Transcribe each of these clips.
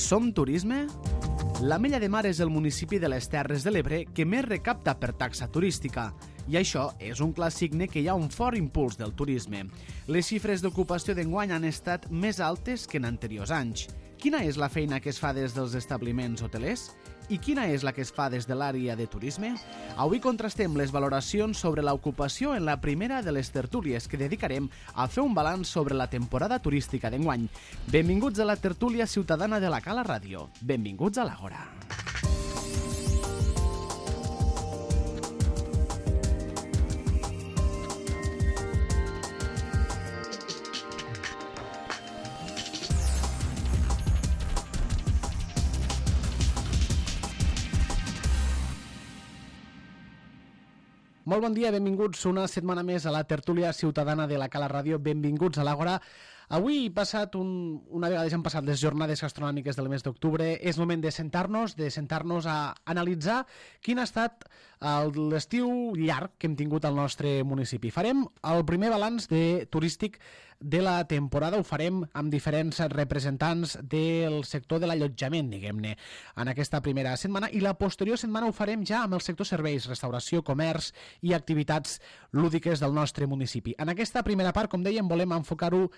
Som Turisme? L'Ametlla de Mar és el municipi de les Terres de l'Ebre que més recapta per taxa turística. I això és un clar signe que hi ha un fort impuls del turisme. Les xifres d'ocupació d'enguany han estat més altes que en anteriors anys. Quina és la feina que es fa des dels establiments hotelers? I quina és la que es fa des de l'àrea de turisme? Avui contrastem les valoracions sobre l'ocupació en la primera de les tertúlies que dedicarem a fer un balanç sobre la temporada turística d'enguany. Benvinguts a la tertúlia ciutadana de la Cala Ràdio. Benvinguts a l'Àgora. Molt bon dia, benvinguts una setmana més a la tertúlia ciutadana de la Cala Ràdio. Benvinguts a l'Àgora. Avui, una vegada ja han passat les jornades gastronòmiques del mes d'octubre, és moment de sentar-nos a analitzar quin ha estat l'estiu llarg que hem tingut al nostre municipi. Farem el primer balanç turístic de la temporada, ho farem amb diferents representants del sector de l'allotjament, diguem-ne, en aquesta primera setmana, i la posterior setmana ho farem ja amb el sector serveis, restauració, comerç i activitats lúdiques del nostre municipi. En aquesta primera part, com dèiem, volem enfocar-ho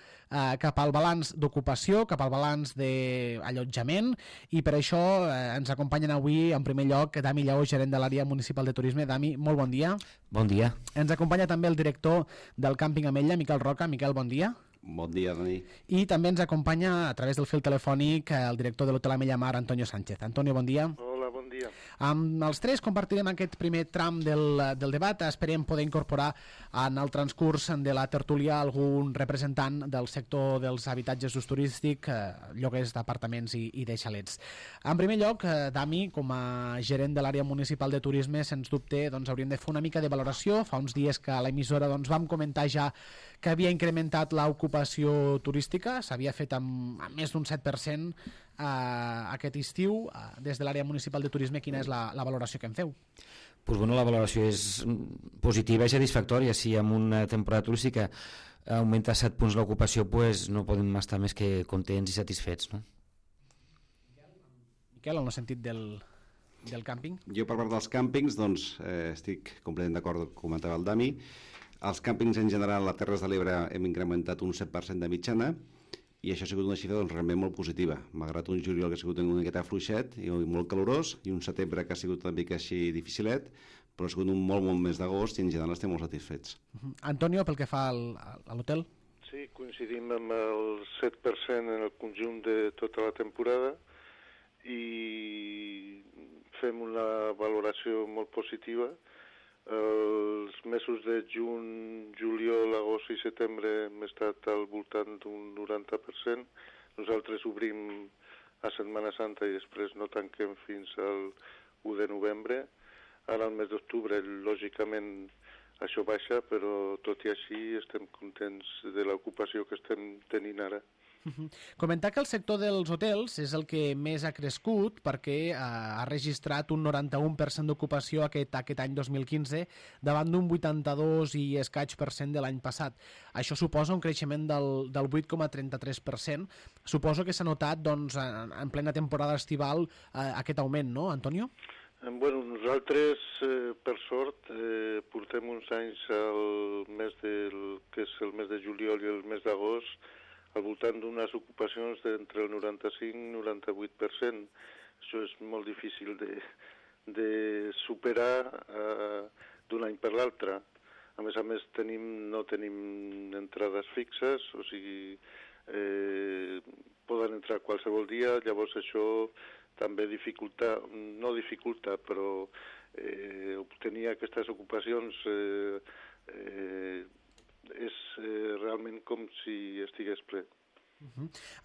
cap al balanç d'ocupació, cap al balanç d'allotjament, i per això ens acompanyen avui, en primer lloc, Dami Lleó, gerent de l'àrea municipal de turisme. Dami, molt bon dia. Bon dia. Ens acompanya també el director del càmping Ametlla, Miquel Roca. Miquel, bon dia. Bon dia, Dani. I també ens acompanya a través del fil telefònic el director de l'Hotel Ametlla Mar, Antonio Sánchez. Antonio, bon dia. Hola, bon dia. Amb els tres compartirem aquest primer tram del debat. Esperem poder incorporar en el transcurs de la tertúlia algun representant del sector dels habitatges d'ús turístic, lloguers d'apartaments i de xalets. En primer lloc, Dami, com a gerent de l'àrea municipal de turisme, sens dubte hauríem de fer una mica de valoració. Fa uns dies que a l'emissora vam comentar ja que havia incrementat l'ocupació turística, s'havia fet amb més d'un 7% aquest estiu. Des de l'àrea municipal de turisme, quina és la valoració que en feu? Pues bueno, la valoració és positiva i satisfactòria. Si en una temporada turística augmenta 7 punts l'ocupació, pues no podem estar més que contents i satisfets, no? Miquel, en el sentit del càmping? Jo, per part dels càmpings, estic completament d'acord amb el que comentava el Dami. Els càmpings en general a Terres de l'Ebre hem incrementat un 7% de mitjana, i això ha sigut una xifra realment molt positiva, malgrat un juliol que ha sigut una miqueta fluixet i molt calorós, i un setembre que ha sigut una mica així dificilet, però ha sigut un molt mes d'agost i en general estem molt satisfets. Antonio, pel que fa a l'hotel? Sí, coincidim amb el 7% en el conjunt de tota la temporada i fem una valoració molt positiva. Els mesos de juny, juliol, agost i setembre hem estat al voltant d'un 90%. Nosaltres obrim a Setmana Santa i després no tanquem fins al 1 de novembre. Ara al mes d'octubre, lògicament, això baixa, però tot i així estem contents de l'ocupació que estem tenint ara. Comentar que el sector dels hotels és el que més ha crescut perquè ha registrat un 91% d'ocupació aquest any 2015 davant d'un 82 i escaig % de l'any passat. Això suposa un creixement del 8,33%. Suposo que s'ha notat en plena temporada estival aquest augment, no, Antonio? Bueno, nosaltres, per sort, portem uns anys que és el mes de juliol i el mes d'agost, al voltant d'unes ocupacions d'entre el 95 i 98%. Això és molt difícil de superar d'un any per l'altre. A més, no tenim entrades fixes, o sigui, poden entrar qualsevol dia, llavors això també però obtenir aquestes ocupacions és realment com si estigués ple.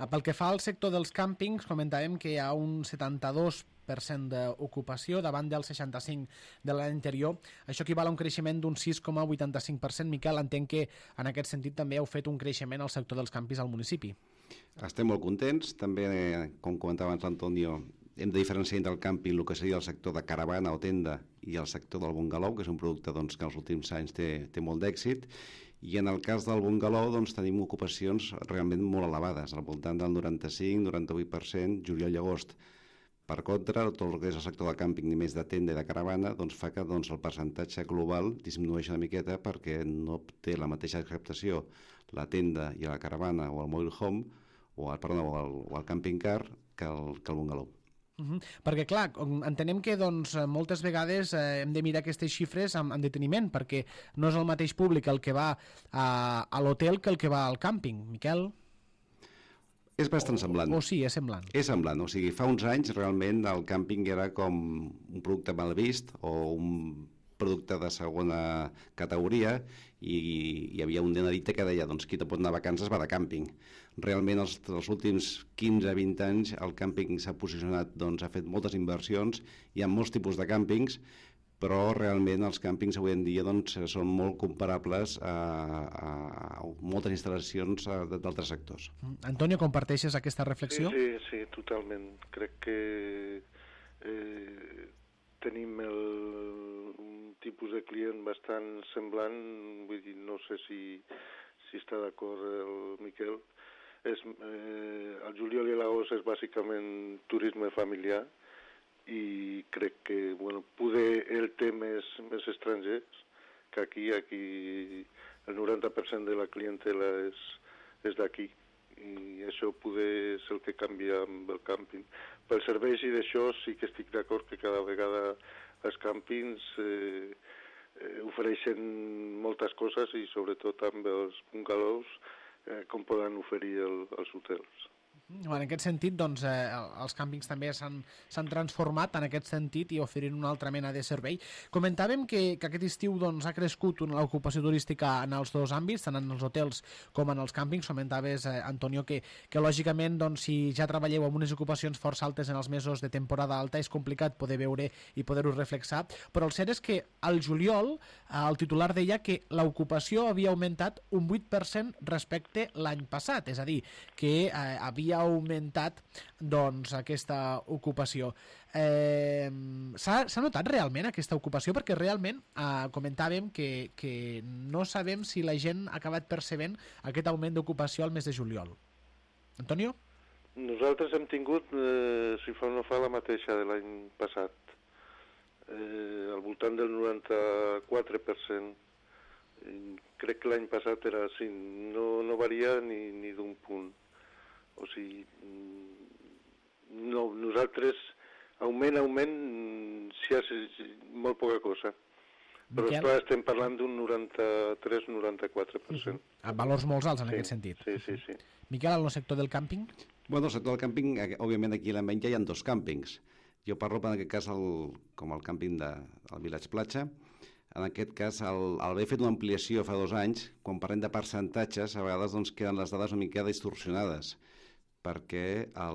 Pel que fa al sector dels càmpings, comentàvem que hi ha un 72% d'ocupació davant del 65% de l'any anterior. Això equival a un creixement d'un 6,85%. Miquel, entenc que en aquest sentit també heu fet un creixement al sector dels càmpings al municipi. Estem molt contents. També, com comentava abans l'Antonio, hem de diferenciar entre el càmping el que seria el sector de caravana o tenda i el sector del bungalou, que és un producte que en els últims anys té molt d'èxit, I en el cas del bungalow doncs, tenim ocupacions realment molt elevades, al voltant del 95-98%, juliol i agost. Per contra, tot el que és el sector del càmping i més de tenda i de caravana doncs, fa que doncs, el percentatge global disminueixi una miqueta perquè no té la mateixa acceptació la tenda i la caravana o el mobile home o el camping car que el bungalow. Perquè, clar, entenem que doncs, moltes vegades hem de mirar aquestes xifres amb deteniment, perquè no és el mateix públic el que va a l'hotel que el que va al càmping. Miquel? És bastant semblant. O sí, és semblant. És semblant, o sigui, fa uns anys realment el càmping era com un producte mal vist o un producte de segona categoria i hi havia un denarite que deia doncs qui te pot anar a vacances va de càmping. Realment els últims 15-20 anys el càmping s'ha posicionat, doncs ha fet moltes inversions, hi ha molts tipus de càmpings, però realment els càmpings avui en dia doncs, són molt comparables a moltes instal·lacions d'altres sectors. Antonio, comparteixes aquesta reflexió? Sí, totalment. Crec que tenim un tipus de client bastant semblant, vull dir, no sé si està d'acord el Miquel. El juliol i l'agost és bàsicament turisme familiar i crec que poder el té més estrangers que aquí el 90% de la clientela és d'aquí i això poder és el que canvia amb el càmping. Pels serveis i d'això sí que estic d'acord que cada vegada els càmpings ofereixen moltes coses i sobretot amb els bungalows com poden oferir els hotels. En aquest sentit, doncs, els càmpings també s'han transformat en aquest sentit i oferint una altra mena de servei. Comentàvem que aquest estiu doncs, ha crescut l'ocupació turística en els dos àmbits, tant en els hotels com en els càmpings. Comentaves, Antonio, que lògicament, doncs, si ja treballeu amb unes ocupacions força altes en els mesos de temporada alta, és complicat poder veure i poder-ho reflexar, però el cert és que al juliol el titular deia que l'ocupació havia augmentat un 8% respecte l'any passat, és a dir, que havia augmentat doncs, aquesta ocupació. S'ha notat realment aquesta ocupació? Perquè realment comentàvem que no sabem si la gent ha acabat percebent aquest augment d'ocupació al mes de juliol. Antonio? Nosaltres hem tingut, si fa o no fa, la mateixa de l'any passat. Al voltant del 94%. Crec que l'any passat era així, no varia ni d'un punt. O sigui, no, nosaltres augment, sí, és molt poca cosa. Però esclar, estem parlant d'un 93-94%. Amb valors molt alts en aquest sentit. Sí. Miquel, en el sector del càmping? Bueno, el sector del càmping, òbviament aquí a la Menja hi ha dos càmpings. Jo parlo en aquest cas com el càmping del Village Platja. En aquest cas, al haver fet una ampliació fa 2 anys, quan parlem de percentatges, a vegades doncs, queden les dades una mica distorsionades, perquè a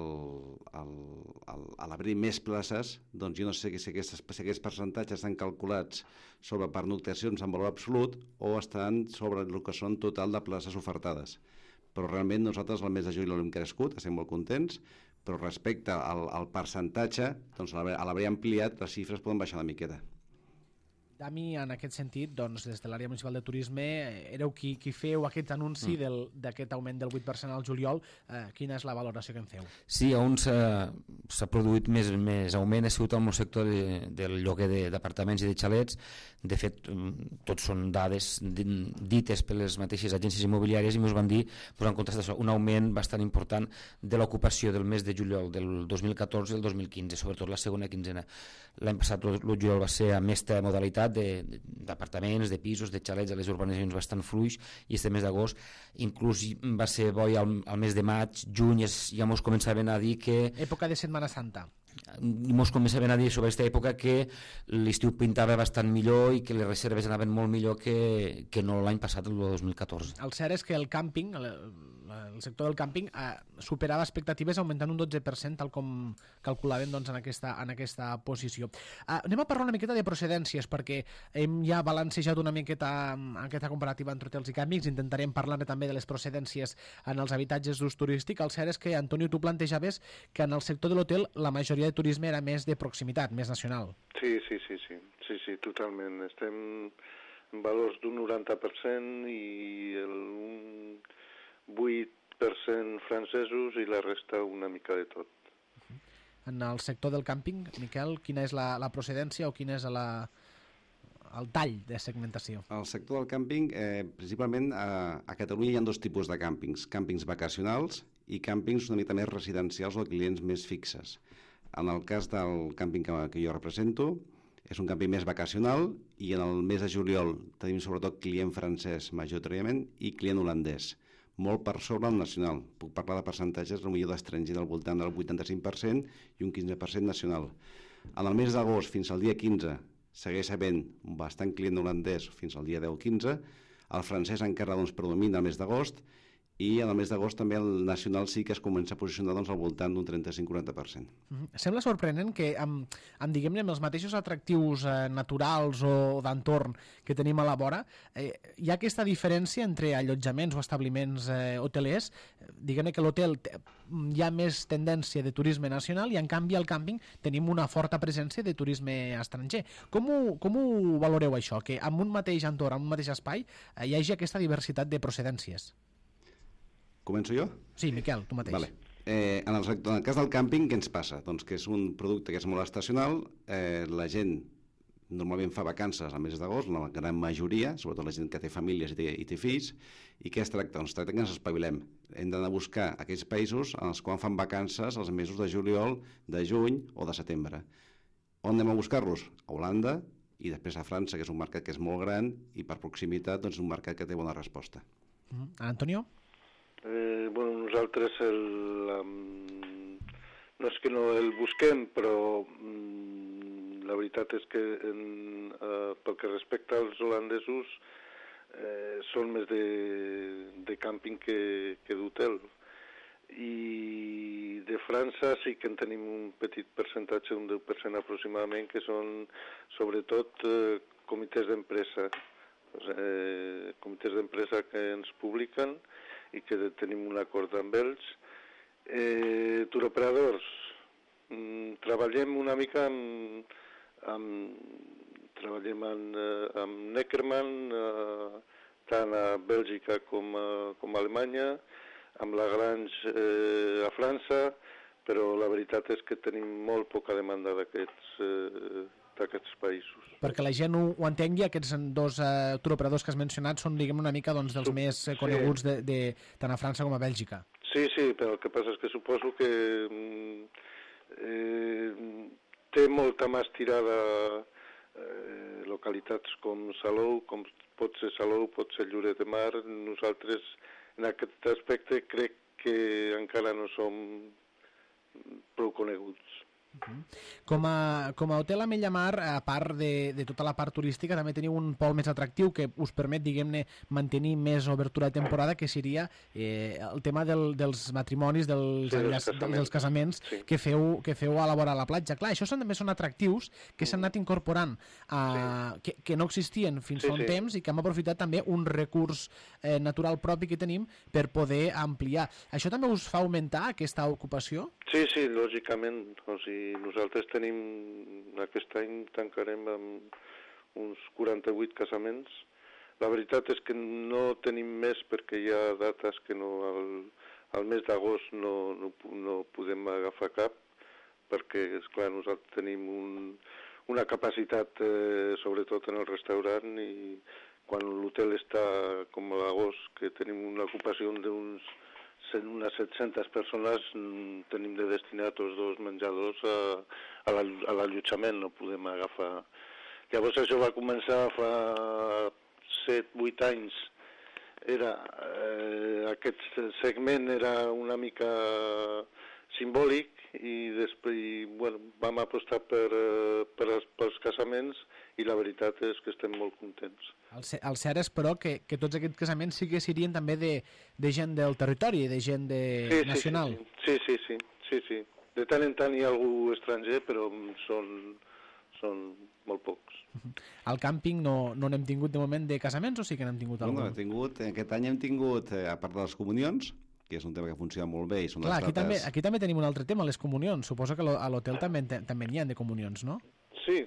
l'obrir més places, doncs jo no sé si aquests percentatges estan calculats sobre pernoctacions en valor absolut o estan sobre el que són total de places ofertades. Però realment nosaltres al mes de juliol hem crescut, estem molt contents, però respecte al percentatge, doncs a l'haver ampliat, les xifres poden baixar una miqueta. Dami, en aquest sentit, doncs, des de l'àrea municipal de turisme, éreu qui feu aquest anunci d'aquest augment del 8% al juliol. Quina és la valoració que en feu? Sí, on s'ha produït més augment ha sigut en el sector del lloguer d'apartaments i de xalets. De fet, tots són dades dites per les mateixes agències immobiliàries i ens van dir, en contrast d'això, un augment bastant important de l'ocupació del mes de juliol del 2014 i el 2015, sobretot la segona quinzena. L'any passat el juliol va ser amb aquesta modalitat d'apartaments, de pisos, de xalets a les urbanitzacions bastant fluix, i este mes d'agost inclús va ser bo al mes de maig, juny, ja mos començaven a dir que... Època de Setmana Santa. Mos començaven a dir sobre aquesta època que l'estiu pintava bastant millor i que les reserves anaven molt millor que no l'any passat, el 2014. El cert és que el càmping, el sector del càmping superava expectatives augmentant un 12%, tal com calculaven doncs, en aquesta posició. Anem a parlar una miqueta de procedències, perquè hem ja balancejat una miqueta aquesta comparativa entre hotels i càmpings. Intentarem parlar també de les procedències en els habitatges d'ús turístic. El cert és que, Antonio, tu plantejaves que en el sector de l'hotel la majoria de turisme era més de proximitat, més nacional. Sí, totalment. Estem valors d'un 90% i un 8% francesos i la resta una mica de tot. En el sector del càmping, Miquel, quina és la procedència o quin és el tall de segmentació? Al sector del càmping, principalment a Catalunya hi ha dos tipus de càmpings vacacionals i càmpings una mica més residencials o clients més fixes. En el cas del càmping que jo represento, és un càmping més vacacional i en el mes de juliol tenim sobretot client francès majoritàriament i client holandès, molt per sobre el nacional. Puc parlar de percentatges potser d'estranger del voltant del 85% i un 15% nacional. En el mes d'agost fins al dia 15 segueix havent bastant client holandès fins al dia 10-15, el francès encara predomina el mes d'agost i en el mes d'agost també el nacional sí que es comença a posicionar al voltant d'un 35-40%. Sembla sorprenent que amb diguem-ne, amb els mateixos atractius naturals o d'entorn que tenim a la vora, hi ha aquesta diferència entre allotjaments o establiments hotelers, diguem-ne que l'hotel hi ha més tendència de turisme nacional i en canvi al càmping tenim una forta presència de turisme estranger. Com ho valoreu això, que en un mateix entorn, en un mateix espai, hi hagi aquesta diversitat de procedències? Començo jo? Sí, Miquel, tu mateix. Vale. En el cas del càmping, què ens passa? Doncs que és un producte que és molt estacional, la gent normalment fa vacances al mes d'agost, la gran majoria, sobretot la gent que té famílies i té fills, i què es tracta? Doncs es tracta que ens espavilem. Hem d'anar a buscar aquells països en els quals fan vacances els mesos de juliol, de juny o de setembre. On anem a buscar-los? A Holanda i després a França, que és un mercat que és molt gran i per proximitat doncs, un mercat que té bona resposta. Antonio? Nosaltres no és que no el busquem, però la veritat és que pel que respecta als holandesos són més de càmping que d'hotel. I de França sí que en tenim un petit percentatge, un 10% aproximadament, que són sobretot comitès d'empresa. Comitès d'empresa que ens publiquen i que tenim un acord amb ells. Turoperadors, treballem una mica treballem amb Neckermann, tant a Bèlgica com a Alemanya, amb Lagrange a França, però la veritat és que tenim molt poca demanda d'aquests països. Perquè la gent ho entengui, aquests dos turoperadors que has mencionat són, diguem, una mica dels més coneguts tant a França com a Bèlgica. Sí, però el que passa és que suposo que té molta més tirada localitats com Salou, com pot ser Salou, pot ser Lloret de Mar. Nosaltres, en aquest aspecte, crec que encara no som prou coneguts. Com a hotel a Mellamar, a part de tota la part turística, també teniu un pol més atractiu que us permet, diguem-ne, mantenir més obertura de temporada, que seria el tema dels matrimonis, dels casaments sí. que feu a la vora de la platja. Clar, això també són atractius que s'han anat incorporant, que no existien fins fa un temps i que hem aprofitat també un recurs natural propi que tenim per poder ampliar. Això també us fa augmentar aquesta ocupació? Sí, lògicament. O sigui, nosaltres aquest any tancarem amb uns 48 casaments. La veritat és que no tenim més perquè hi ha dates que al mes d'agost no podem agafar cap, perquè, esclar, nosaltres tenim una capacitat, sobretot en el restaurant, i quan l'hotel està com a l'agost, que tenim una ocupació d'unes 700 persones, tenim de destinar tots dos menjadors a l'allotjament, no podem agafar. Llavors això va començar fa 7-8 anys. Aquest segment era una mica simbòlic i després vam apostar pels casaments i la veritat és que estem molt contents. El cert és, però, que tots aquests casaments sí que serien també de gent del territori, de gent nacional. Sí. De tant en tant hi ha algú estranger, però són molt pocs. Al càmping no n'hem tingut de moment de casaments o sí que n'hem tingut algun? Aquest any hem tingut, a part de les comunions, que és un tema que funciona molt bé. I són clar, aquí també tenim un altre tema, les comunions. Suposo que a l'hotel també n'hi ha de comunions, no? Sí.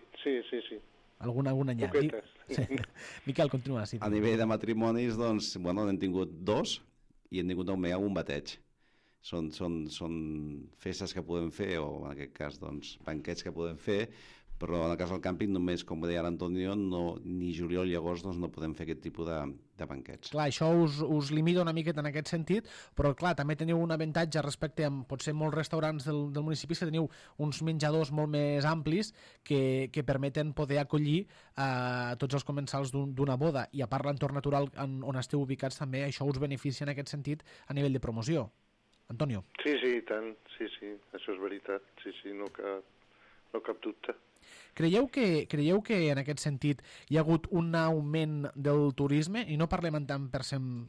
Alguna anyà. Poquetes. Sí. Miquel, continua. Sí. A nivell de matrimonis, doncs, bueno, n'hem tingut 2 i hem tingut també un bateig. Són festes que podem fer, o en aquest cas, doncs, banquets que podem fer, però en el cas del càmping només, com deia l'Antonio, ni juliol ni agost doncs, no podem fer aquest tipus de banquets. Clar, això us limita una miqueta en aquest sentit, però clar, també teniu un avantatge respecte a potser molts restaurants del municipi, que teniu uns menjadors molt més amplis que permeten poder acollir tots els comensals d'una boda, i a part l'entorn natural on esteu ubicats també, això us beneficia en aquest sentit a nivell de promoció. Antonio. Sí, i tant, sí, això és veritat, sí, no cap dubte. Creieu que en aquest sentit hi ha hagut un augment del turisme, i no parlem en tant per cent,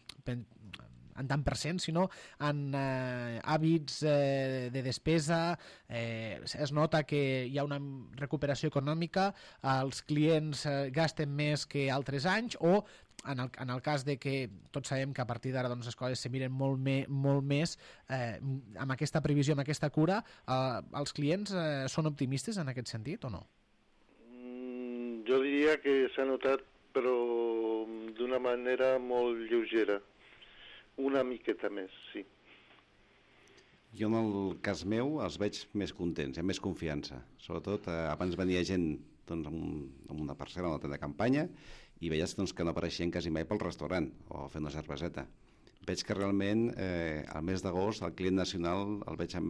sinó en hàbits de despesa? Es nota que hi ha una recuperació econòmica, els clients gasten més que altres anys, o en el cas de que tots sabem que a partir d'ara doncs, les coses se miren molt més, amb aquesta previsió, amb aquesta cura, els clients són optimistes en aquest sentit o no? Jo diria que s'ha notat, però d'una manera molt lleugera. Una miqueta més, sí. Jo en el cas meu els veig més contents, amb més confiança. Sobretot abans venia gent doncs, amb una parcel·la, una tenda de campanya, i veies doncs, que no apareixien quasi mai pel restaurant o fent una cerveseta. Veig que realment al mes d'agost el client nacional el veig amb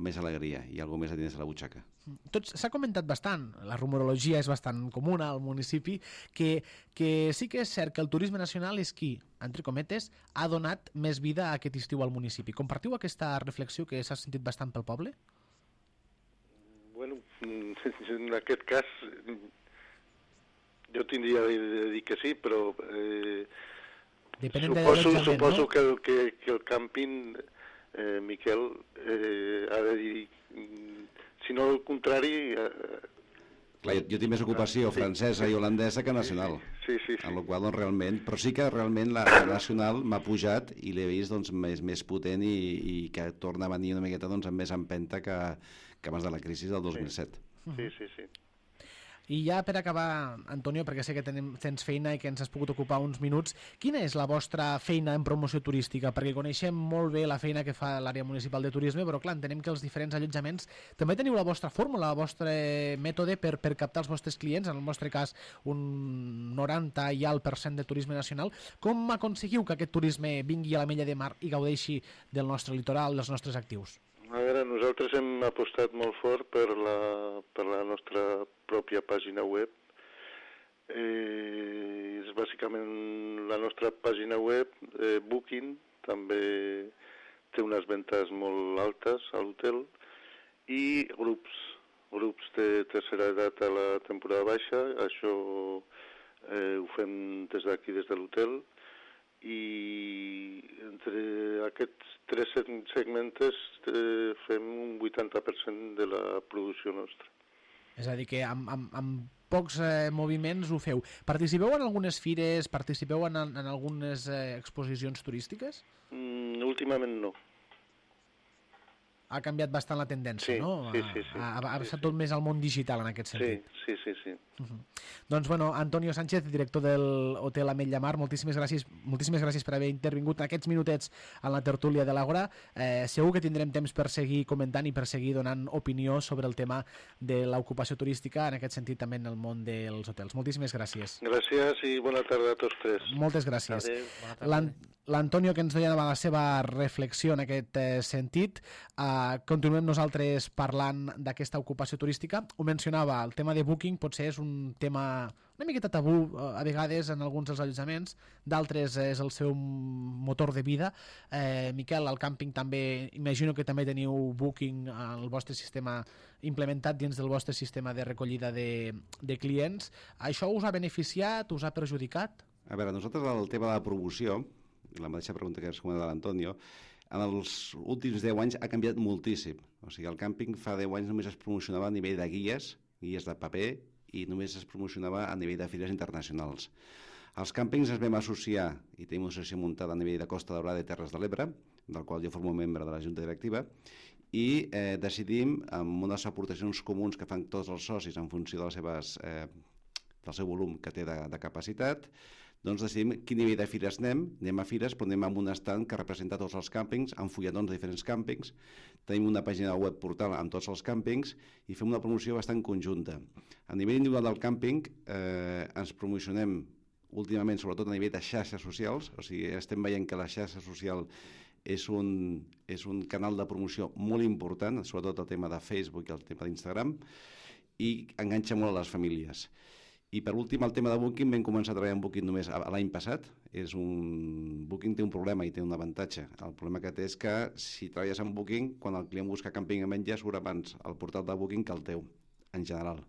més alegria i alguna més a dins de la butxaca. S'ha comentat bastant, la rumorologia és bastant comuna al municipi, que sí que és cert que el turisme nacional és qui, entre cometes, ha donat més vida a aquest estiu al municipi. Compartiu aquesta reflexió que s'ha sentit bastant pel poble? Bueno, en aquest cas jo tindria de dir que sí, però suposo no? que el càmping, Miquel, ha de dir, si no el contrari... Clar, jo tinc més ocupació francesa i holandesa que nacional. Sí. En la qual, doncs, realment... Però sí que realment la nacional m'ha pujat i l'he vist doncs, més potent i que torna a venir una miqueta doncs, amb més empenta que abans de la crisi del 2007. Sí. I ja per acabar, Antonio, perquè sé que tens feina i que ens has pogut ocupar uns minuts, quina és la vostra feina en promoció turística? Perquè coneixem molt bé la feina que fa l'àrea municipal de turisme, però clar, entenem que els diferents allotjaments també teniu la vostra fórmula, el vostre mètode per captar els vostres clients, en el vostre cas un 90 i alt % de turisme nacional. Com aconseguiu que aquest turisme vingui a l'Ametlla de Mar i gaudeixi del nostre litoral, dels nostres actius? A veure, nosaltres hem apostat molt fort per la nostra pròpia pàgina web. És bàsicament la nostra pàgina web, Booking, també té unes ventes molt altes a l'hotel, i grups de tercera edat a la temporada baixa. Això ho fem des d'aquí, des de l'hotel, i entre aquests 3 segments fem un 80% de la producció nostra. És a dir, que amb pocs moviments ho feu. Participeu en algunes fires, participeu en algunes exposicions turístiques? Últimament no. Ha canviat bastant la tendència, sí, no? Sí. Ha passat tot més al món digital en aquest sentit. Sí. Doncs, bueno, Antonio Sánchez, director de l'Hotel Ametlla Mar, moltíssimes gràcies per haver intervingut en aquests minutets en la tertúlia de l'Àgora. Segur que tindrem temps per seguir comentant i per seguir donant opinió sobre el tema de l'ocupació turística, en aquest sentit també en el món dels hotels. Moltíssimes gràcies. Gràcies i bona tarda a tots tres. Moltes gràcies. Adéu. L'Antonio, que ens donava la seva reflexió en aquest sentit. Continuem nosaltres parlant d'aquesta ocupació turística. Ho mencionava, el tema de Booking potser és un tema una miqueta tabú a vegades en alguns dels allotjaments, d'altres és el seu motor de vida. Miquel, al càmping també, imagino que també teniu Booking, el vostre sistema implementat dins del vostre sistema de recollida de clients. Això us ha beneficiat, us ha perjudicat? A veure, nosaltres el tema de la promoció, la mateixa pregunta que es comenta de l'Antonio, en els últims 10 anys ha canviat moltíssim. O sigui, el càmping fa 10 anys només es promocionava a nivell de guies de paper, i només es promocionava a nivell de fires internacionals. Els càmpings ens vam associar, i tenim una associació muntada a nivell de Costa Daurada i Terres de l'Ebre, del qual jo formo membre de la Junta Directiva, i decidim, amb unes aportacions comuns que fan tots els socis en funció de les seves, del seu volum que té de capacitat, doncs decidim quin nivell de fires anem a fires, però anem amb un estand que representa tots els càmpings, amb fulletons de diferents càmpings, tenim una pàgina web portal amb tots els càmpings i fem una promoció bastant conjunta. A nivell individual del càmping ens promocionem últimament, sobretot a nivell de xarxes socials, o sigui, estem veient que la xarxa social és un canal de promoció molt important, sobretot el tema de Facebook i el tema d'Instagram, i enganxa molt a les famílies. I per últim, el tema de Booking, vam començar a treballar en Booking només l'any passat. Booking té un problema i té un avantatge. El problema que té és que si treballes amb Booking, quan el client busca càmping a menjar, surt abans el portal de Booking que el teu, en general.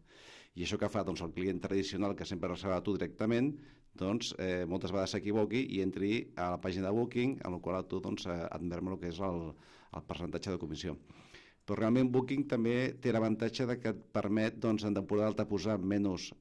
I això que fa doncs, el client tradicional, que sempre reserva a tu directament, doncs, moltes vegades s'equivoqui i entri a la pàgina de Booking, en la qual tu doncs, admet el que és el percentatge de comissió. Però realment Booking també té l'avantatge que et permet doncs, en temporada alta posar menys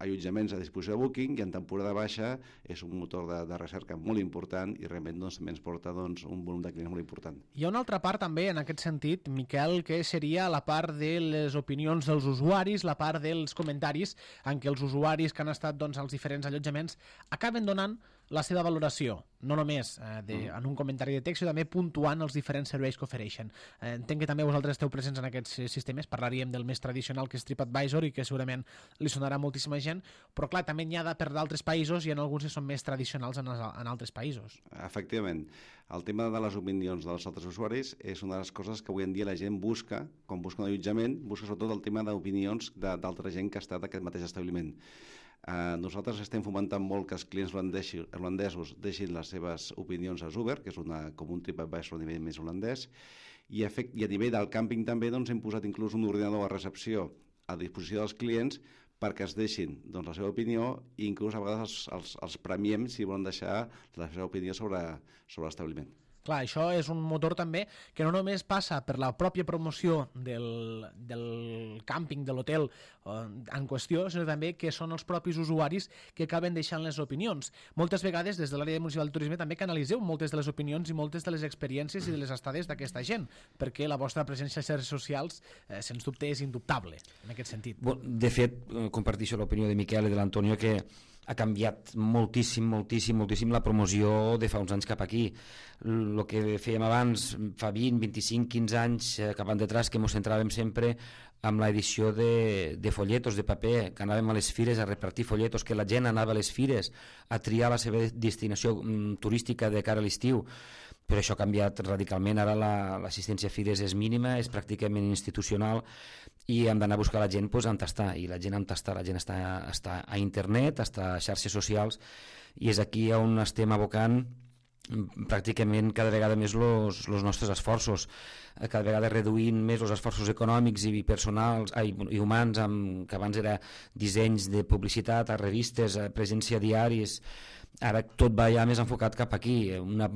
allotjaments a disposició de Booking i en temporada baixa és un motor de recerca molt important i realment doncs, també ens porta doncs, un volum de clients molt important. Hi ha una altra part també en aquest sentit, Miquel, que seria la part de les opinions dels usuaris, la part dels comentaris en què els usuaris que han estat doncs, als diferents allotjaments acaben donant la seva valoració, no només en un comentari de text, sinó també puntuant els diferents serveis que ofereixen. Entenc que també vosaltres esteu presents en aquests sistemes, parlaríem del més tradicional que és TripAdvisor i que segurament li sonarà a moltíssima gent, però clar, també n'hi ha per d'altres països i en alguns que són més tradicionals en altres països. Efectivament, el tema de les opinions dels altres usuaris és una de les coses que avui en dia la gent busca, quan busca un allotjament, busca sobretot el tema d'opinions d'altra gent que ha estat d'aquest mateix establiment. Nosaltres estem fomentant molt que els clients holandesos deixin les seves opinions a Uber, que és com un TripAdvisor a nivell més holandès, i a nivell del càmping també doncs, hem posat inclús un ordinador a recepció a disposició dels clients perquè es deixin doncs, la seva opinió i inclús a vegades els premiem si volen deixar la seva opinió sobre l'establiment. Clar, això és un motor també que no només passa per la pròpia promoció del càmping, de l'hotel en qüestió, sinó també que són els propis usuaris que acaben deixant les opinions. Moltes vegades, des de l'àrea municipal de turisme, també canalitzeu moltes de les opinions i moltes de les experiències i de les estades d'aquesta gent, perquè la vostra presència a xarxes socials, sens dubte, és indubtable, en aquest sentit. De fet, comparteixo l'opinió de Miquel i de l'Antonio, que ha canviat moltíssim la promoció de fa uns anys cap aquí. El que fèiem abans, fa 20, 25, 15 anys cap endetrás, que ens centràvem sempre amb l'edició de folletos de paper, que anàvem a les fires a repartir folletos, que la gent anava a les fires a triar la seva destinació turística de cara a l'estiu. Però això ha canviat radicalment. Ara l'assistència a fires és mínima, és pràcticament institucional i hem d'anar a buscar la gent on està, i la gent on està, la gent està a internet, està a xarxes socials, i és aquí on estem abocant pràcticament cada vegada més els nostres esforços, cada vegada reduint més els esforços econòmics i personals i humans, que abans era dissenys de publicitat a revistes, a presència a diaris. Ara tot va ja més enfocat cap aquí, una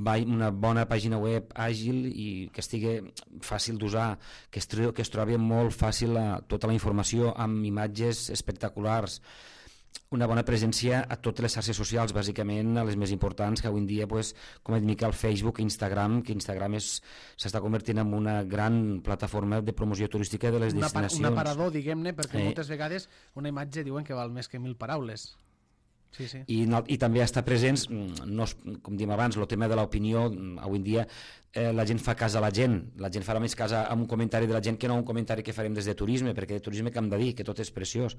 bona pàgina web àgil i que estigui fàcil d'usar, que es trobi molt fàcil tota la informació amb imatges espectaculars, una bona presència a totes les xarxes socials, bàsicament a les més importants, que avui en dia, com ha dit Miquel, Facebook i Instagram, que Instagram s'està convertint en una gran plataforma de promoció turística de les destinacions. Un aparador, diguem-ne, perquè moltes vegades una imatge diuen que val més que 1000 paraules. Sí, sí. I també està presents, com diem abans, el tema de l'opinió. Avui en dia la gent fa cas a la gent farà més cas a un comentari de la gent que no a un comentari que farem des de turisme, perquè de turisme que hem de dir, que tot és preciós.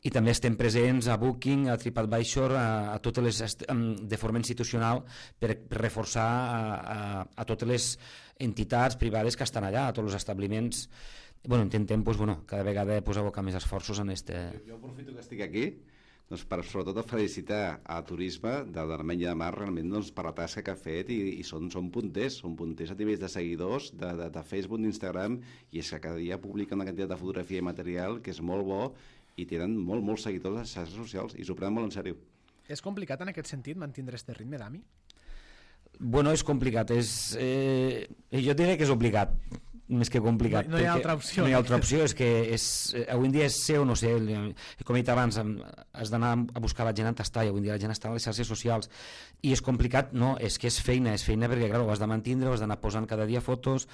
I també estem presents a Booking, a TripAdvisor, a totes les de forma institucional, per reforçar a totes les entitats privades que estan allà, a tots els establiments. Intentem cada vegada abocar més esforços en este... Jo aprofito que estic aquí doncs per sobretot felicitar a Turisme de l'Armenya de Mar realment doncs, per la tasca que ha fet i són punters a nivells de seguidors de Facebook, d'Instagram, i és que cada dia publica una quantitat de fotografia i material que és molt bo i tenen molts seguidors a les xarxes socials i s'ho prenen molt en sèrio. És complicat en aquest sentit mantindre este ritme, Dami? És complicat, jo diria que és obligat. més que complicat. No hi ha altra opció. No hi ha altra opció, és que avui en dia és ser o no ser. Com he dit abans, has d'anar a buscar la gent on està, i avui en dia la gent està a les xarxes socials, i és complicat, no, és que és feina perquè, clar, ho has de mantindre, ho has d'anar posant cada dia fotos,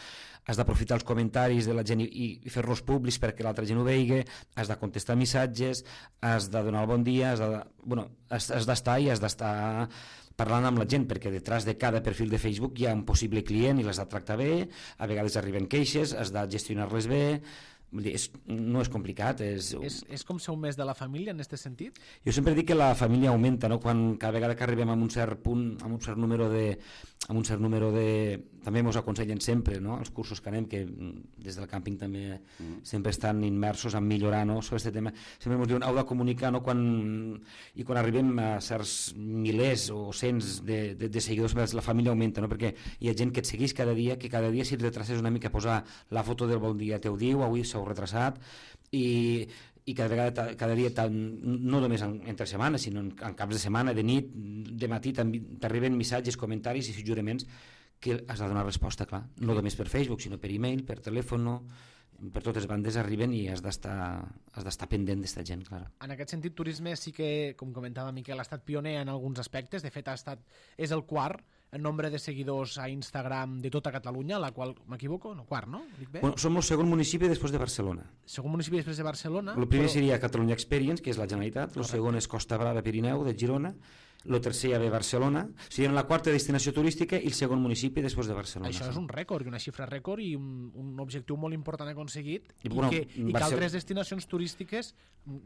has d'aprofitar els comentaris de la gent i fer-los públics perquè l'altra gent ho vegi, has de contestar missatges, has de donar el bon dia, has d'estar i has d'estar parlant amb la gent, perquè detrás de cada perfil de Facebook hi ha un possible client i l'has de tractar bé, a vegades arriben queixes, has de gestionar-les bé. Vull dir, no és complicat. És com ser un mes de la família en aquest sentit? Jo sempre dic que la família augmenta, no? Quan cada vegada que arribem a un cert punt, a un cert número de també ens aconsellen sempre, no? Els cursos que anem, que des del càmping també sempre estan immersos en millorar, no? Sobre aquest tema sempre ens diuen, heu de comunicar, no? I quan arribem a certs milers o cents de seguidors, la família augmenta, no? Perquè hi ha gent que et segueix cada dia, que cada dia si et retraces una mica a posar la foto del bon dia te ho diu, avui s'heu retrasat, i cada dia no només entre setmanes, sinó en caps de setmana, de nit, de matí, t'arriben missatges, comentaris i suggeriments que has de donar resposta, clar, no només per Facebook, sinó per e-mail, per telèfon, per totes bandes arriben i has d'estar pendent d'esta gent, clar. En aquest sentit, turisme sí que, com comentava Miquel, ha estat pioner en alguns aspectes. De fet, és el quart en nombre de seguidors a Instagram de tota Catalunya, la qual, m'equivoco? No, quart, no? Dic bé? Som el segon municipi després de Barcelona. Segon municipi després de Barcelona. El primer seria Catalunya Experience, que és la Generalitat, el segon és Costa Brava Pirineu, de Girona, el tercer ja ve Barcelona, o sigui, en la quarta destinació turística i el segon municipi després de Barcelona. Això és un rècord, una xifra rècord i un objectiu molt important aconseguit i que altres destinacions turístiques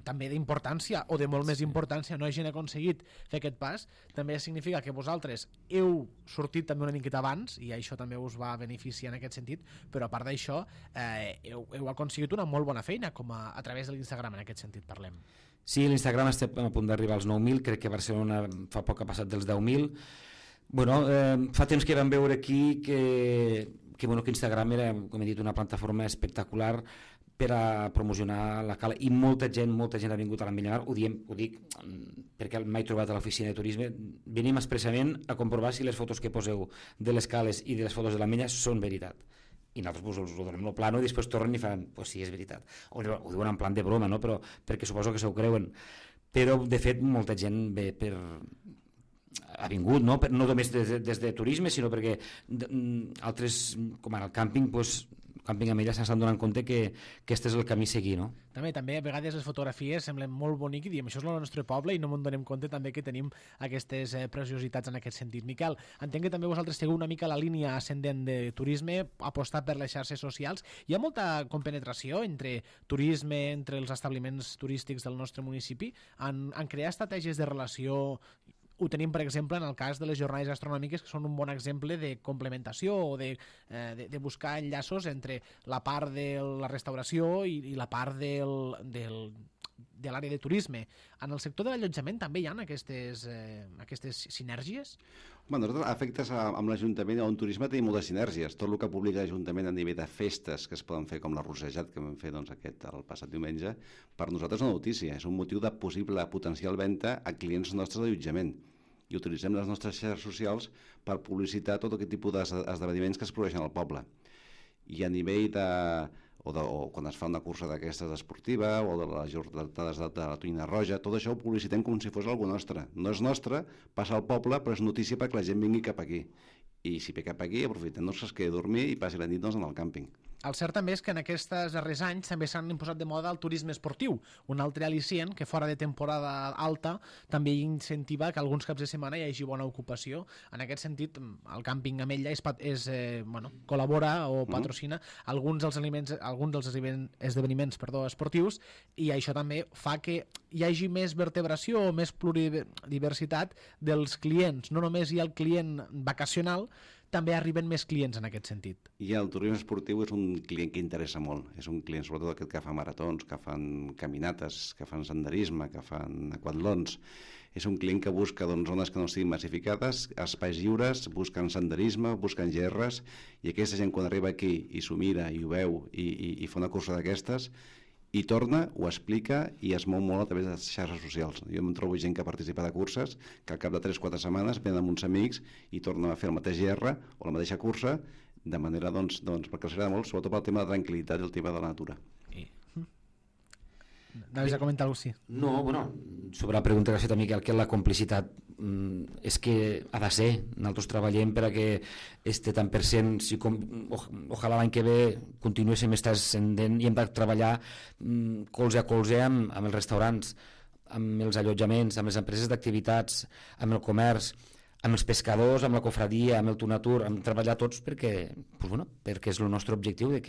també d'importància o de molt més importància no hagin aconseguit fer aquest pas. També significa que vosaltres heu sortit també una miqueta abans i això també us va beneficiar en aquest sentit, però a part d'això heu aconseguit una molt bona feina a través de l'Instagram, en aquest sentit parlem. Sí, l'Instagram està a punt d'arribar als 9.000, crec que Barcelona fa poc ha passat dels 10.000. Fa temps que vam veure aquí que Instagram era, com he dit, una plataforma espectacular per a promocionar la cala, i molta gent ha vingut a l'Ametlla Mar, ho dic perquè mai he trobat a l'oficina de turisme, venim expressament a comprovar si les fotos que poseu de les cales i de les fotos de l'Ametlla són veritat. I nosaltres us ho donem el plano i després tornen i fan, pues sí, és veritat. Ho diuen en plan de broma, no? Però perquè suposo que s'ho creuen. Però, de fet, molta gent ve ha vingut, no només des de turisme, sinó perquè altres, com ara el càmping, Càmping Ametlla s'estan donant compte que aquest és el camí a seguir, no? També a vegades les fotografies semblen molt bonic i diem, això és el nostre poble, i no ens donem compte també que tenim aquestes preciositats en aquest sentit. Miquel, entenc que també vosaltres seguiu una mica la línia ascendent de turisme, apostar per les xarxes socials. Hi ha molta compenetració entre turisme, entre els establiments turístics del nostre municipi, en crear estratègies de relació. Ho tenim, per exemple, en el cas de les jornades gastronòmiques, que són un bon exemple de complementació o de buscar enllaços entre la part de la restauració i la part de l'àrea de turisme. En el sector de l'allotjament també hi ha aquestes sinergies? Nosaltres, a efectes amb l'Ajuntament o en turisme tenim moltes sinergies. Tot el que publica l'Ajuntament a nivell de festes que es poden fer, com la Rossejat que vam fer el passat diumenge, per nosaltres és una notícia, és un motiu de possible potencial venda a clients nostres d'allotjament. I utilitzem les nostres xarxes socials per publicitar tot aquest tipus d'esdeveniments que es produeixen al poble. I a nivell o quan es fa una cursa d'aquestes esportiva o de les jornades de la tonyina roja, tot això ho publicitem com si fos alguna nostra. No és nostre, passa al poble, però és notícia perquè la gent vingui cap aquí. I si ve cap aquí, aprofitem que es quedi a dormir i passi la nit en el càmping. El cert també és que en aquests darrers anys també s'han imposat de moda el turisme esportiu, un altre al·licient que fora de temporada alta també incentiva que alguns caps de setmana hi hagi bona ocupació. En aquest sentit, el càmping Ametlla col·labora o patrocina alguns dels esdeveniments esportius, i això també fa que hi hagi més vertebració o més pluridiversitat dels clients. No només hi ha el client vacacional, també arriben més clients en aquest sentit. I el turisme esportiu és un client que interessa molt. És un client, sobretot aquest que fa maratons, que fan caminates, que fan senderisme, que fan aquatlons. És un client que busca zones que no estiguin massificades, espais lliures, busquen senderisme, busquen gerres, i aquesta gent quan arriba aquí i s'ho mira i ho veu i fa una cursa d'aquestes, i torna, ho explica i es mou molt a través de les xarxes socials. Jo em trobo gent que participa de curses que al cap de 3-4 setmanes venen amb uns amics i tornen a fer el mateix GR o la mateixa cursa de manera, perquè els agrada molt, sobretot pel tema de tranquil·litat i el tema de la natura. Anaves a comentar alguna cosa, sí. No, bueno, sobre la pregunta que ha fet a Miquel, que la complicitat és que ha de ser, nosaltres treballem per a que este tant per cent, ojalà l'any que ve continuéssim estar ascendent i hem de treballar colze a colze amb els restaurants, amb els allotjaments, amb les empreses d'activitats, amb el comerç, amb els pescadors, amb la cofradia, amb el Tunatur, amb treballar tots perquè és el nostre objectiu de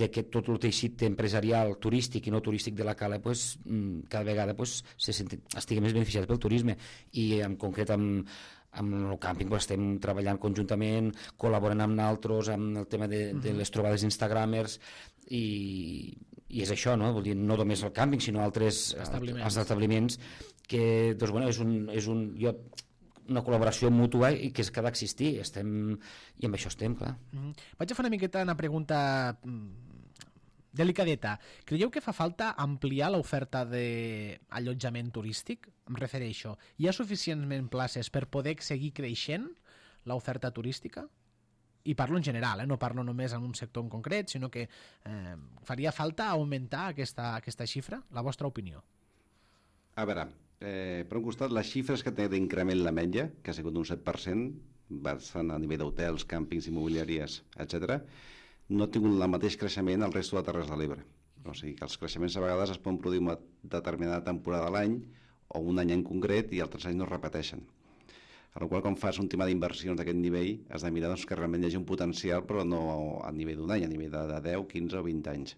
que tot el teixit empresarial, turístic i no turístic de la Cala cada vegada estigui més beneficiat pel turisme, i en concret amb el càmping estem treballant conjuntament, col·laborant amb nosaltres amb el tema de les trobades instagramers, i és això, no? Vull dir, no només el càmping sinó altres establiments que és una col·laboració mútua i que ha d'existir, i amb això estem, clar. Vaig a fer una miqueta una pregunta delicadeta. Creieu que fa falta ampliar l'oferta d'allotjament turístic? Em refereixo, hi ha suficientment places per poder seguir creixent l'oferta turística? I parlo en general, no parlo només en un sector en concret, sinó que faria falta augmentar aquesta xifra? La vostra opinió? A veure, per un costat, les xifres que té d'increment la Ametlla, que ha sigut un 7%, bastant a nivell d'hotels, càmpings, immobiliàries, etc., no ha tingut el mateix creixement al resto de Terres de l'Ebre. O sigui que els creixements a vegades es poden produir una determinada temporada a l'any o un any en concret i altres anys no es repeteixen. A la qual, quan fas un tema d'inversions d'aquest nivell, has de mirar que realment hi hagi un potencial, però no a nivell d'un any, a nivell de 10, 15 o 20 anys.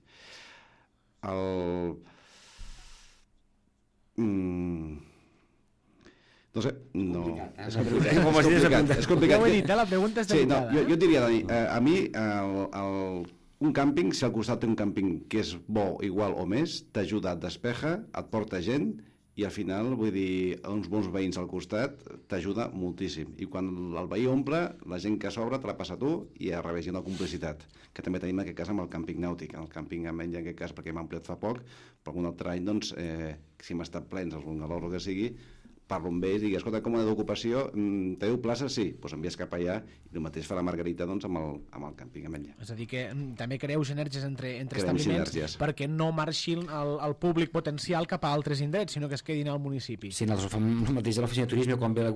No sé, no... És complicat. Ja ho he dit, la pregunta és delicada. Jo et diria, Dani, a mi un càmping, si al costat té un càmping que és bo, igual o més, t'ajuda, et despeja, et porta gent, i al final, vull dir, uns bons veïns al costat t'ajuda moltíssim. I quan el veí omple, la gent que sobra te la passa a tu, i al revés, hi ha una complicitat, que també tenim en aquest cas amb el càmping nàutic. El càmping Ametlla, en aquest cas, perquè m'ha ampliat fa poc, però algun altre any, doncs, si hem estat plens, els bungalows o que sigui, parlo amb ells i dic, escolta, com a d'ocupació, teniu places? Sí, doncs envies cap allà, i el mateix fa la Margarita, doncs, amb el càmping Ametlla. És a dir, que també creeu sinergies entre establiments perquè no marxin el públic potencial cap a altres indrets, sinó que es quedin al municipi. Sí, nosaltres fem el mateix a l'oficina de turisme, quan ve a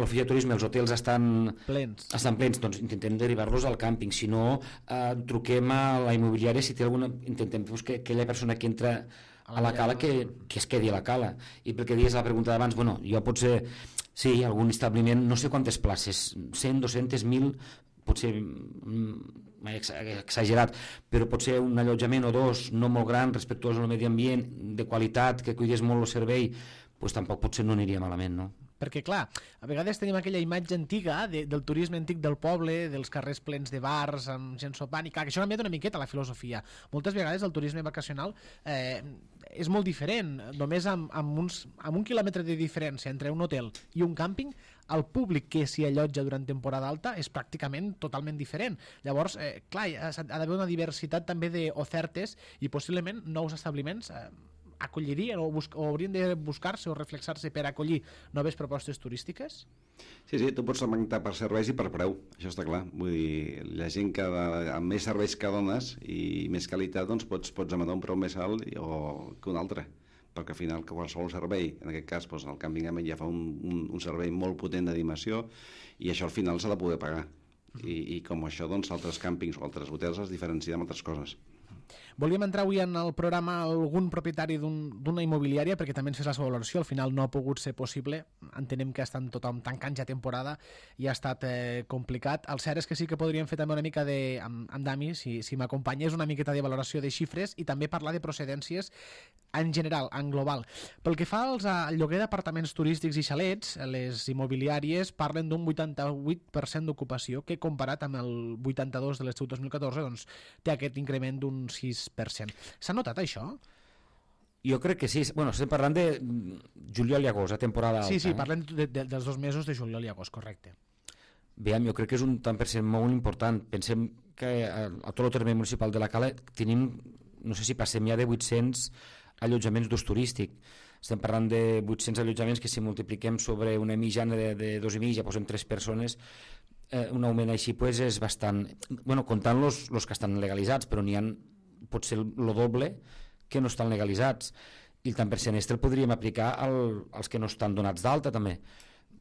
l'oficina de turisme els hotels estan plens, doncs intentem derivar-los al càmping, si no truquem a la immobiliària si té alguna, intentem que aquella persona que entra a la Cala que es quedi a la Cala. I perquè dius la pregunta d'abans, bueno, jo potser sí, algun establiment, no sé quantes places, 100, 200, 1.000, potser m'he exagerat, però potser un allotjament o dos no molt gran, respectuós al medi ambient, de qualitat, que cuidés molt el servei, doncs tampoc potser no aniria malament, no? Perquè, clar, a vegades tenim aquella imatge antiga del turisme antic del poble, dels carrers plens de bars, amb gent sopant, i clar, que això ha canviat una miqueta la filosofia. Moltes vegades el turisme vacacional és molt diferent, només amb un quilòmetre de diferència entre un hotel i un càmping, el públic que s'hi allotja durant temporada alta és pràcticament totalment diferent. Llavors, clar, ha d'haver una diversitat també d'ofertes i possiblement nous establiments acollirien o haurien de buscar-se o reflexar-se per acollir noves propostes turístiques? Sí, tu pots segmentar per serveis i per preu, això està clar. Vull dir, la gent que amb més serveis que dones i més qualitat, doncs pots demanar un preu més alt que un altre, perquè al final qualsevol servei, en aquest cas el càmping Ametlla ja fa un servei molt potent d'animació i això al final s'ha de poder pagar. I com això, doncs, altres càmpings o altres hotels es diferencien amb altres coses. Volíem entrar avui en el programa algun propietari d'una immobiliària perquè també ens fes la seva valoració, al final no ha pogut ser possible, entenem que estan tothom tancant ja temporada i ha estat complicat. El cert és que sí que podríem fer també una mica amb Dami, si m'acompanyés, una miqueta de valoració de xifres i també parlar de procedències en general, en global. Pel que fa al lloguer d'apartaments turístics i xalets, les immobiliàries parlen d'un 88% d'ocupació que comparat amb el 82% de l'estiu 2014 doncs té aquest increment d'un 6%. S'ha notat això? Jo crec que sí. Bueno, estem parlant de juliol i agost, a temporada alta. Sí, parlem dels 2 mesos de juliol i agost, correcte. Veiem, jo crec que és un tant per cent molt important. Pensem que a tot el terme municipal de la Cala tenim, no sé si passem ja de 800 allotjaments d'ús turístic. estem parlant de 800 allotjaments que si multipliquem sobre una mitjana de 2,5, ja posem 3 persones, un augment així pues, és bastant... Bueno, comptant los que estan legalitzats, però n'hi ha potser el doble que no estan legalitzats. I el tant per cent el podríem aplicar als que no estan donats d'alta també.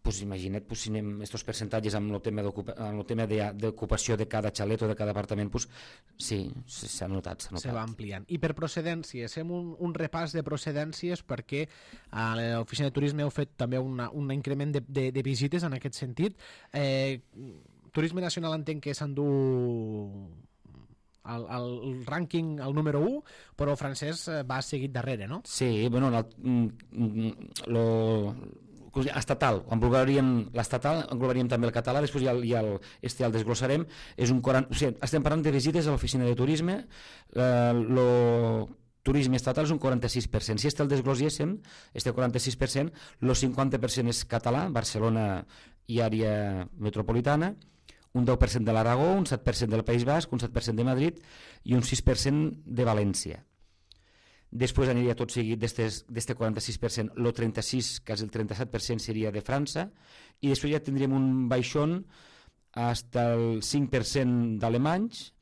Pues imagina't, pues, si anem estos percentatges amb el tema d'ocupació de cada xalet o de cada apartament, pues, sí, s'ha notat. Se va ampliant. I per procedències, fem un repàs de procedències perquè a l'oficina de turisme heu fet també un increment de visites en aquest sentit. Turisme Nacional entenc que s'endú el rànquing, el número 1, però el francès va seguit darrere, no? Sí, bueno, estatal, l'estatal englobaríem també el català, després ja el desglossarem, estem parlant de visites a l'oficina de turisme, el turisme estatal és un 46%, si el desglosséssim, 46%, el 50% és català, Barcelona i àrea metropolitana, un 10% de l'Aragó, un 7% del País Basc, un 7% de Madrid i un 6% de València. Després aniria tot seguit d'este 46%, el 36%, quasi el 37% seria de França, i després ja tindríem un baixón fins al 5% d'alemanys,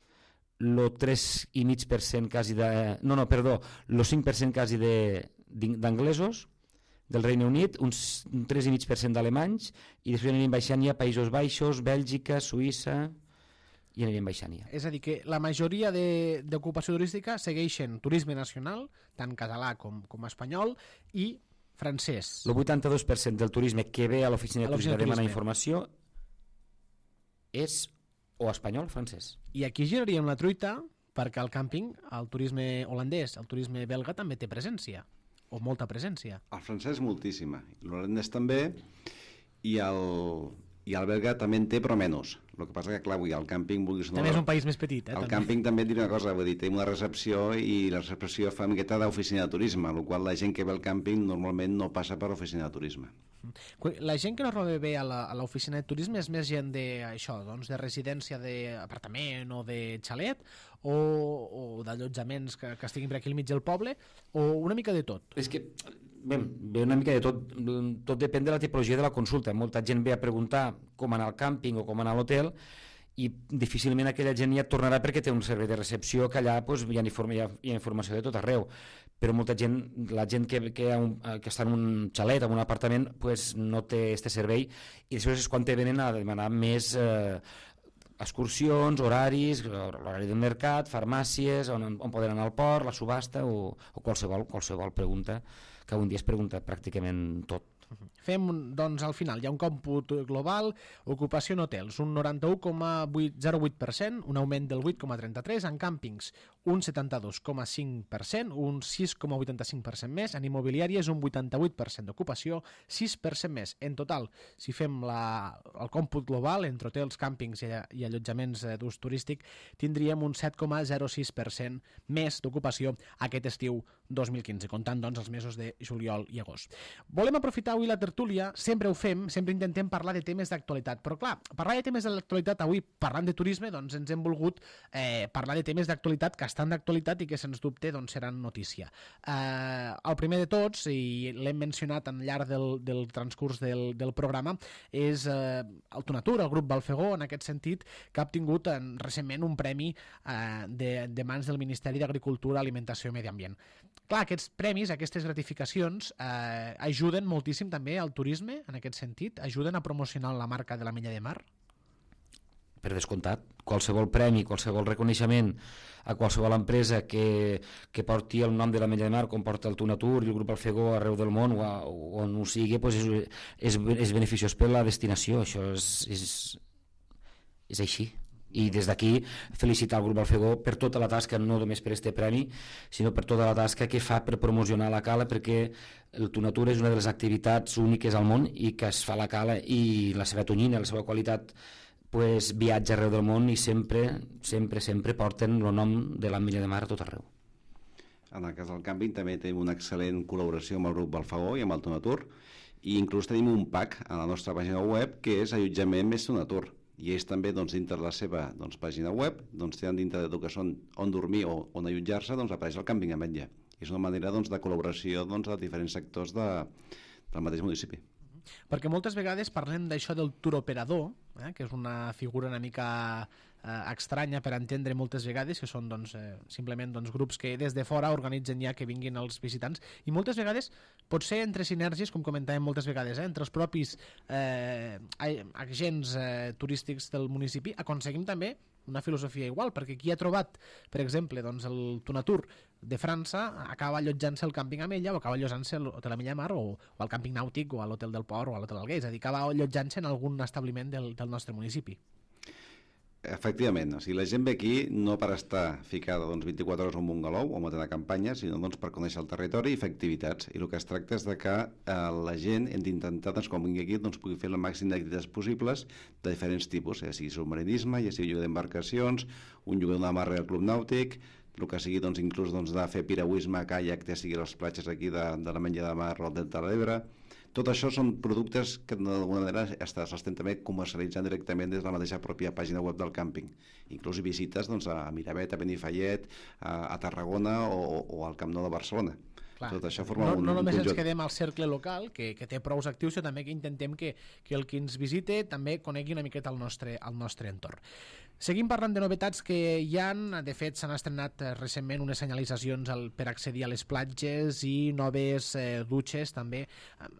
el 3,5% quasi de... el 5% quasi d'anglesos, del Regne Unit, un 3,5% d'alemanys, i després aniríem baixant ja Països Baixos, Bèlgica, Suïssa... i anirem baixant ja. És a dir, que la majoria d'ocupació turística segueixen turisme nacional, tant català com espanyol, i francès. El 82% del turisme que ve a l'oficina de turisme a demanar informació és o espanyol o francès. I aquí giraríem la truita perquè al càmping el turisme holandès, el turisme belga també té presència, o molta presència. El francès moltíssima, l'holandès també, i el belga també en té, però menys. El que passa que, clar, el càmping... També és un país més petit, El càmping també et diré una cosa, vull dir, té una recepció i la recepció fa una miqueta d'oficina de turisme, el qual la gent que ve al càmping normalment no passa per l'oficina de turisme. La gent que normalment ve a l'oficina de turisme és més gent de residència d'apartament o de xalet o d'allotjaments que estiguin per aquí al mig del poble, o una mica de tot? És que ve una mica de tot depèn de la tipologia de la consulta. Molta gent ve a preguntar com anar al càmping o com anar a l'hotel i difícilment aquella gent ja tornarà perquè té un servei de recepció que allà hi ha informació de tot arreu, però molta gent, la gent que està en un xalet, en un apartament, no té aquest servei, i després és quan te venen a demanar més excursions, horaris, l'horari del mercat, farmàcies, on poden anar al port, la subhasta o qualsevol pregunta, que un dia es pregunta pràcticament tot. Fem, doncs, al final, hi ha un còmput global, ocupació en hotels, un 91,08%, un augment del 8,33%, en càmpings, un 72,5%, un 6,85% més, en immobiliàries, un 88% d'ocupació, 6% més. En total, si fem el còmput global, entre hotels, càmpings i allotjaments d'ús turístic, tindríem un 7,06% més d'ocupació aquest estiu 2015, comptant, doncs, els mesos de juliol i agost. Volem aprofitar avui la tertúlia, sempre ho fem, sempre intentem parlar de temes d'actualitat, però clar, parlar de temes d'actualitat avui, parlant de turisme, doncs ens hem volgut parlar de temes d'actualitat que estan d'actualitat i que sens dubte doncs, seran notícia. El primer de tots, i l'hem mencionat al llarg del transcurs del programa, és el Tunatur, el grup Balfegó, en aquest sentit, que ha obtingut recentment un premi de mans del Ministeri d'Agricultura, Alimentació i Medi Ambient. Clar, aquests premis, aquestes gratificacions ajuden moltíssim també al turisme, en aquest sentit, ajuden a promocionar la marca de l'Ametlla de Mar? Per descomptat, qualsevol premi, qualsevol reconeixement a qualsevol empresa que porti el nom de l'Ametlla de Mar, com porta el Tunatur i el grup Balfegó arreu del món o on ho sigui, és beneficiós per la destinació, això és així. I des d'aquí felicitar el grup Balfegó per tota la tasca, no només per este premi, sinó per tota la tasca que fa per promocionar la cala, perquè el Tunatur és una de les activitats úniques al món i que es fa a la cala, i la seva tonyina, la seva qualitat viatja arreu del món i sempre porten el nom de l'Ametlla de Mar a tot arreu. En el cas del càmping també tenim una excel·lent col·laboració amb el grup Balfegó i amb el Tunatur, i inclús tenim un pack a la nostra pàgina web que és allotjament més Tunatur, i ells també, dintre de la seva pàgina web, tenen dintre de tot que són on dormir o on allotjar-se, apareix el càmping Ametlla. I És una manera doncs, de col·laboració doncs, de diferents sectors del mateix municipi. Perquè moltes vegades parlem d'això del tour operador, que és una figura una mica estranya per entendre moltes vegades, que són simplement grups que des de fora organitzen ja que vinguin els visitants, i moltes vegades pot ser entre sinergies, com comentàvem moltes vegades, entre els propis agents turístics del municipi, aconseguim també una filosofia igual, perquè qui ha trobat, per exemple, el Tunatur de França acaba allotjant-se al càmping Amella o acaba allotjant-se a l'Hotel Amella Mar o al càmping nàutic o a l'Hotel del Port o a l'Hotel Alguer, és a dir, acaba allotjant-se en algun establiment del nostre municipi. Efectivament, o sigui, la gent ve aquí no per estar ficada 24 hores en un galou o en una campanya, sinó per conèixer el territori i fer activitats. I el que es tracta és de que la gent hem d'intentar, quan vingui aquí, pugui fer el màxim d'activitats possibles de diferents tipus, ja sigui submarinisme, ja sigui lloguer d'embarcacions, un lloguer d'una amarra al club nàutic, el que sigui inclús de fer piragüisme, caiac, ja sigui a les platges aquí de l'Ametlla de Mar o del Delta de l'Ebre. Tot això són productes que d'alguna manera s'estan també comercialitzant directament des de la mateixa pròpia pàgina web del càmping. Inclús visites a Miravet, a Benifallet, a Tarragona o al Camp Nou de Barcelona. Clar. Tot això forma un només conjunt. ens quedem al cercle local, que té prous actius, sinó també que intentem que el que ens visite també conegui una miqueta el nostre entorn. Seguim parlant de novetats que hi ha. De fet, s'han estrenat recentment unes senyalitzacions per accedir a les platges i noves dutxes també.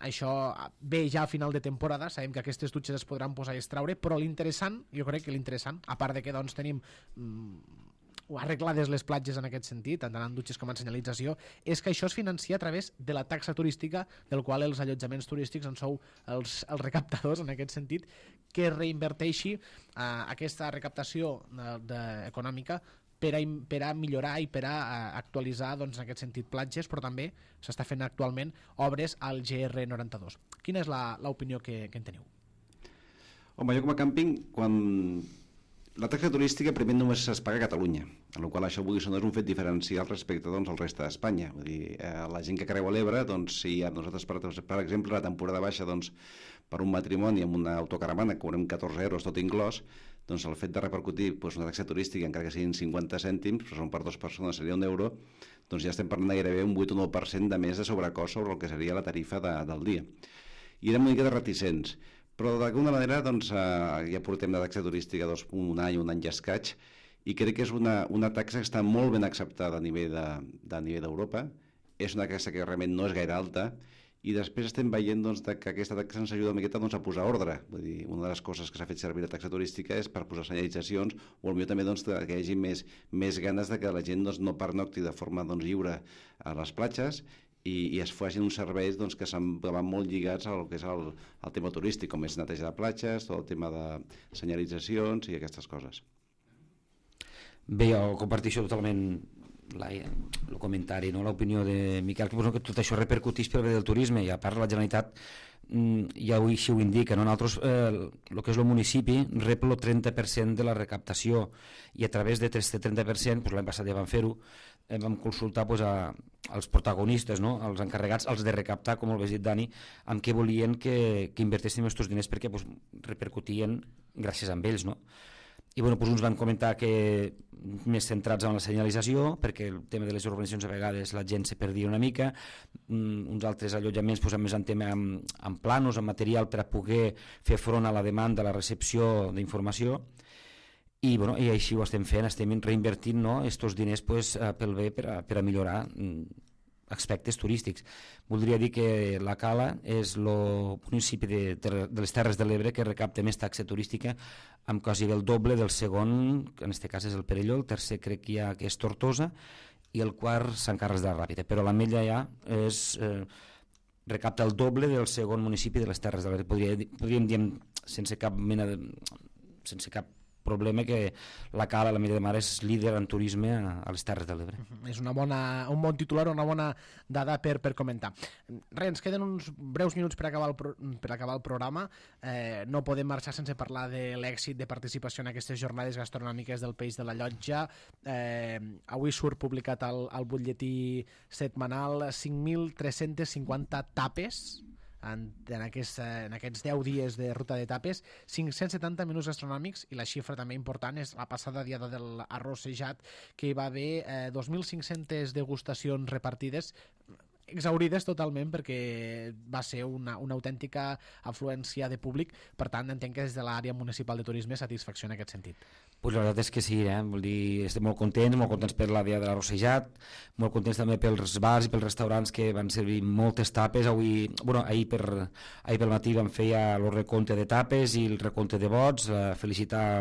Això ve ja a final de temporada, sabem que aquestes dutxes es podran posar i extraure, però l'interessant, jo crec que l'interessant, a part de que tenim arreglades les platges en aquest sentit, tant en dutxes com en senyalització, és que això es financia a través de la taxa turística, del qual els allotjaments turístics en sou els recaptadors, en aquest sentit, que reinverteixi aquesta recaptació econòmica per a millorar i per a actualitzar, en aquest sentit, platges, però també s'està fent actualment obres al GR92. Quina és l'opinió que en teniu? Home, jo com a càmping, quan la taxa turística primer només es paga a Catalunya, en la qual això és un fet diferencial respecte al resta d'Espanya. Vull dir, la gent que creua l'Ebre, si nosaltres, per exemple, la temporada baixa, per un matrimoni amb una autocaravana cobrem 14 euros tot inclòs, el fet de repercutir una taxa turística, encara que siguin 50 cèntims, però són per dues persones, seria €1, ja estem parlant de gairebé un 8 o 9% de més de sobrecost sobre el que seria la tarifa del dia. I érem una mica de reticents, però d'alguna manera ja portem de taxa turística un any i escaig, i crec que és una taxa que està molt ben acceptada a nivell d'Europa. És una taxa que realment no és gaire alta, i després estem veient que aquesta taxa ens ajuda una miqueta a posar ordre. Vull dir, una de les coses que s'ha fet servir la taxa turística és per posar senyalitzacions, o potser també que hi hagi més ganes de que la gent no pernocti de forma lliure a les platges, i es facin uns serveis que van molt lligats al que és el tema turístic, com és neteja de platges, tot el tema de senyalitzacions i aquestes coses. Bé, jo comparteixo totalment el comentari, l'opinió de Miquel, que tot això repercuteix pel bé del turisme, i a part la Generalitat ja així ho indica, nosaltres el que és el municipi rep el 30% de la recaptació, i a través d'aquest 30%, l'any passat ja vam fer-ho, vam consultar als protagonistes, als encarregats, els de recaptar, com ho has dit, Dani, amb què volien que invertéssim aquests diners, perquè repercutien gràcies a ells, no? I uns van comentar que més centrats en la senyalització, perquè el tema de les urbanitzacions a vegades la gent se perdia una mica, uns altres allotjaments amb més en tema amb planos, amb material per a poder fer front a la demanda, a la recepció d'informació, i així ho estem fent, estem reinvertint aquests diners pel bé per a millorar aspectes turístics. Voldria dir que la Cala és el municipi de les Terres de l'Ebre que recapta més taxa turística, amb quasi el doble del segon, que en aquest cas és el Perelló, el tercer crec que és Tortosa, i el quart Sant Carles de la Ràpita, però l'Ametlla ja recapta el doble del segon municipi de les Terres de l'Ebre. Podríem dir sense cap problema que la Cala, l'Ametlla de Mar, és líder en turisme a les Terres de l'Ebre. És un bon titular, una bona dada per comentar. Ens queden uns breus minuts per acabar el programa. No podem marxar sense parlar de l'èxit de participació en aquestes jornades gastronòmiques del Peix de la Llotja. Avui surt publicat al butlletí setmanal 5.350 tapes en aquests 10 dies de ruta d'etapes, 570 menús gastronòmics, i la xifra també important és la passada diada de l'arrossejat, que hi va haver 2.500 degustacions repartides, exaurides totalment perquè va ser una autèntica afluència de públic. Per tant, entenc que des de l'àrea municipal de turisme satisfacció en aquest sentit. Pues la veritat és que sí, vull dir, estem molt contents per la dia de l'arrossejat, molt contents també pels bars i pels restaurants que van servir moltes tapes. Ahir pel matí vam fer ja el recompte de tapes i el recompte de vots, felicitar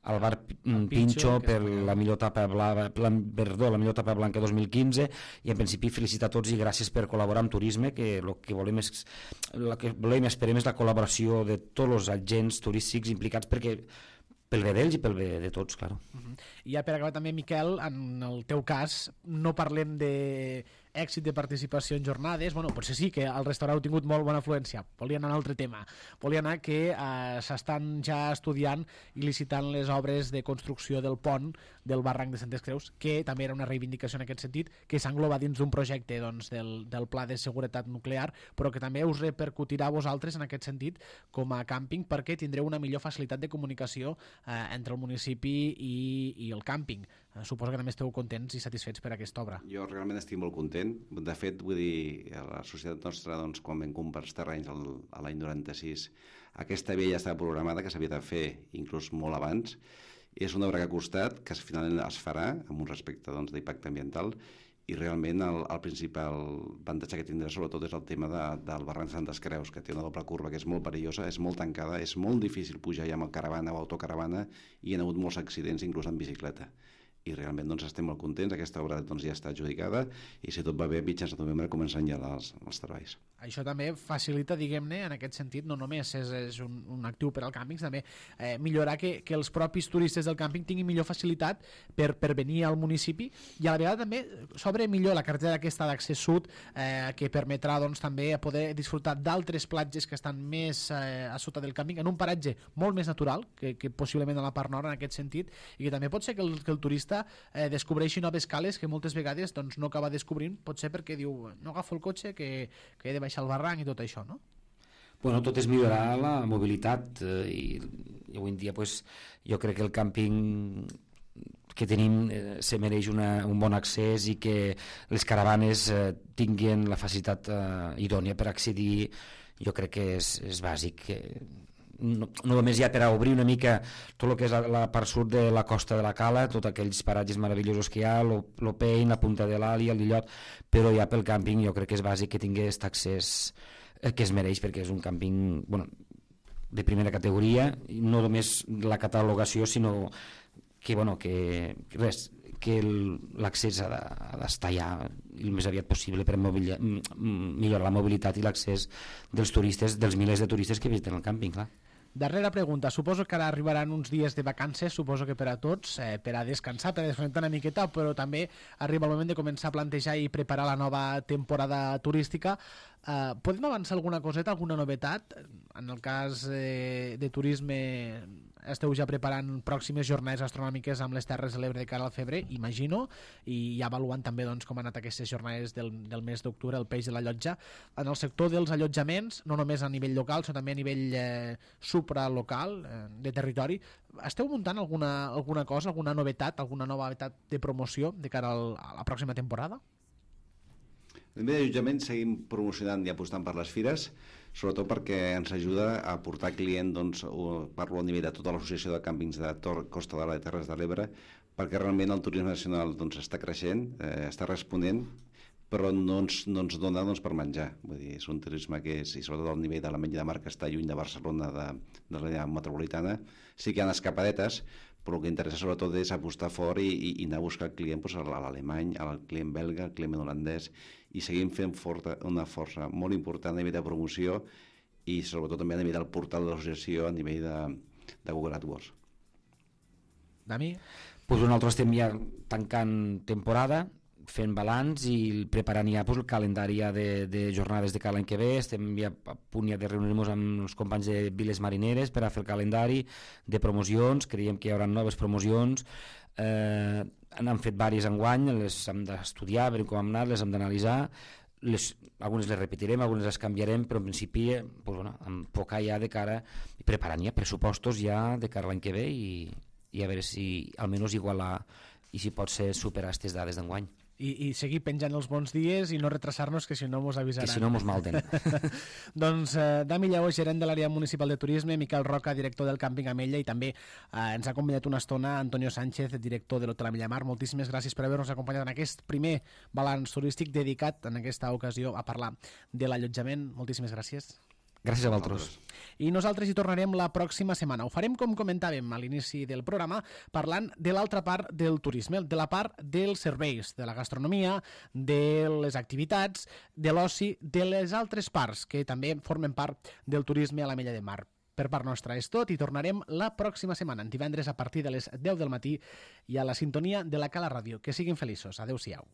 al bar Pincho per la millor tapa blanca 2015, i en principi felicitar a tots i gràcies per col·laborar amb turisme, que el que volem i esperem és la col·laboració de tots els agents turístics implicats, perquè pel bé d'ells i pel bé de tots, clar. I ja per acabar també, Miquel, en el teu cas no parlem d'èxit de participació en jornades. Potser sí que el restaurant ha tingut molt bona afluència. Volia anar a un altre tema. Volia anar que s'estan ja estudiant i licitant les obres de construcció del pont del barranc de Santes Creus, que també era una reivindicació en aquest sentit, que s'engloba dins d'un projecte del Pla de Seguretat Nuclear, però que també us repercutirà a vosaltres en aquest sentit com a càmping, perquè tindreu una millor facilitat de comunicació entre el municipi i el càmping. Suposo que també esteu contents i satisfets per aquesta obra. Jo realment estic molt content. De fet, vull dir, a la societat nostra, quan vam comprar els terrenys a l'any 96, aquesta via ja estava programada, que s'havia de fer inclús molt abans. És una obra que ha costat, que finalment es farà, amb un respecte d'impacte ambiental, i realment el principal avantatge que tindrà sobretot és el tema del barranc de Santes Creus, que té una doble curva que és molt perillosa, és molt tancada, és molt difícil pujar ja amb caravana o autocaravana, i hi ha hagut molts accidents, inclús en bicicleta. I realment estem molt contents. Aquesta obra ja està adjudicada i, si tot va bé, mitjans de novembre comencen ja els treballs. Això també facilita, diguem-ne, en aquest sentit, no només és un actiu per al càmping, també millorar que els propis turistes del càmping tinguin millor facilitat per venir al municipi, i a la vegada també s'obre millor la carretera aquesta d'accés sud, que permetrà també poder disfrutar d'altres platges que estan més a sota del càmping, en un paratge molt més natural que possiblement a la part nord en aquest sentit, i que també pot ser que el turista descobreixi noves cales que moltes vegades no acaba descobrint, potser perquè diu no agafo el cotxe que he de baixar el barranc i tot això, no? Bueno, tot és millorar la mobilitat, i avui en dia jo crec que el càmping que tenim se mereix un bon accés, i que les caravanes tinguin la facilitat idònia per accedir. Jo crec que és bàsic. No només ja per a obrir una mica tot el que és la part sud de la costa de la Cala, tots aquells paratges meravellosos que hi ha, l'Opein, la Punta de l'Ali, el Lillot, però ja pel càmping jo crec que és bàsic que tingui aquest accés que es mereix, perquè és un càmping de primera categoria, i no només la catalogació, sinó que l'accés ha d'estar ja el més aviat possible per millorar la mobilitat i l'accés dels turistes, dels milers de turistes que visiten el càmping, clar. Darrera pregunta. Suposo que ara arribaran uns dies de vacances, suposo que per a tots, per a descansar, per a desconnectar una miqueta, però també arriba el moment de començar a plantejar i preparar la nova temporada turística. Podem avançar alguna coseta, alguna novetat? En el cas de turisme, esteu ja preparant pròximes jornades astronòmiques amb les Terres de l'Ebre de cara al febrer, imagino, i ja avaluant també com han anat aquestes jornades del mes d'octubre, el peix de la llotja. En el sector dels allotjaments, no només a nivell local, sinó també a nivell supralocal, de territori, esteu muntant alguna cosa, alguna novetat, alguna novetat de promoció de cara a la pròxima temporada? A nivell d'allotjament seguim promocionant i apostant per les fires, sobretot perquè ens ajuda a portar client, parlo a nivell de tota l'associació de càmpings de Costa d'Ala de Terres de l'Ebre, perquè realment el turisme nacional està creixent, està responent, però no ens dona per menjar. Vull dir, és un turisme que és, i sobretot el nivell de la menja de mar, que està lluny de Barcelona, de l'àrea metropolitana. Sí que hi ha escapadetes, però el que interessa sobretot és apostar fort i anar a buscar el client a l'alemany, al client belga, al client holandès, i seguim fent una força molt important a nivell de promoció i sobretot també a nivell del portal de l'associació, a nivell de Google AdWords. Dami? Nosaltres estem ja tancant temporada, fent balanç i preparant ja el calendari de jornades de cada any que ve. Estem ja a punt de reunir-nos amb els companys de Viles Marineres per a fer el calendari de promocions. Creiem que hi haurà noves promocions. N'han fet diverses enguany, les hem d'estudiar, veure com han anat, les hem d'analitzar. algunes les repetirem, algunes les canviarem, però en principi enfocar ja de cara, preparant ja pressupostos ja de cara a l'any que ve i a veure si almenys igualar i si pot ser superar aquestes dades d'enguany. I seguir penjant els bons dies i no retrasar-nos, que si no mos avisaran. Que si no mos malden. Doncs Dami Lleó, gerent de l'àrea municipal de turisme, Miquel Roca, director del càmping Amella, i també ens ha acompanyat una estona Antonio Sánchez, director de l'Hotel Amella Mar. Moltíssimes gràcies per haver-nos acompanyat en aquest primer balanç turístic dedicat en aquesta ocasió a parlar de l'allotjament. Moltíssimes gràcies. Gràcies a vosaltres. I nosaltres hi tornarem la pròxima setmana. Ho farem, com comentàvem a l'inici del programa, parlant de l'altra part del turisme, de la part dels serveis, de la gastronomia, de les activitats, de l'oci, de les altres parts que també formen part del turisme a l'Amella de Mar. Per part nostra és tot i tornarem la pròxima setmana, divendres a partir de les 10 del matí i a la sintonia de la Cala Ràdio. Que siguin feliços. Adéu-siau.